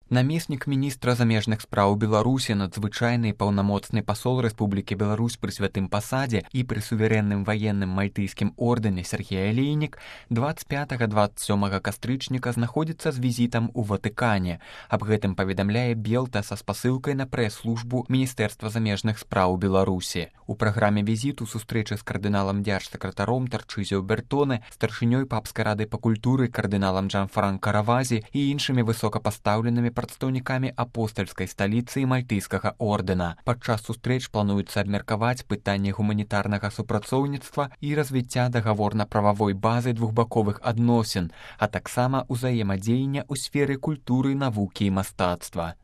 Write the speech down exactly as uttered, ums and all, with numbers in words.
Намеснік міністра замежных спраў Беларусі, надзвычайны і паўнамоцны пасол Рэспублікі Беларусь пры святым пасадзе і пры суверэнным ваенным мальтыйскім ордэне Сергей Алейнік дваццаць пятага - дваццаць сёмага кастрычніка знаходзіцца з візітам у Ватыкане. Аб гэтым паведамляе Белта са спасылкай на прэс-службу Міністэрства замежных спраў Беларусі. У праграме візіту сустрэчы з кардыналам дзяржсакратаром Тарчызіо Бертоне, старшынёй папскай рады па культуры кардыналам Джанфранка Равазі і іншымі высокапастаўленымі прадстаўнікамі апостальскай сталіцы і мальтыйскага ордэна. Падчас сустрэч плануецца абмеркаваць пытанні гуманітарнага супрацоўніцтва і развіцця дагаворна-прававой базы двухбаковых адносін, а таксама ўзаемадзеяння ў сферы культуры, навукі і мастацтва.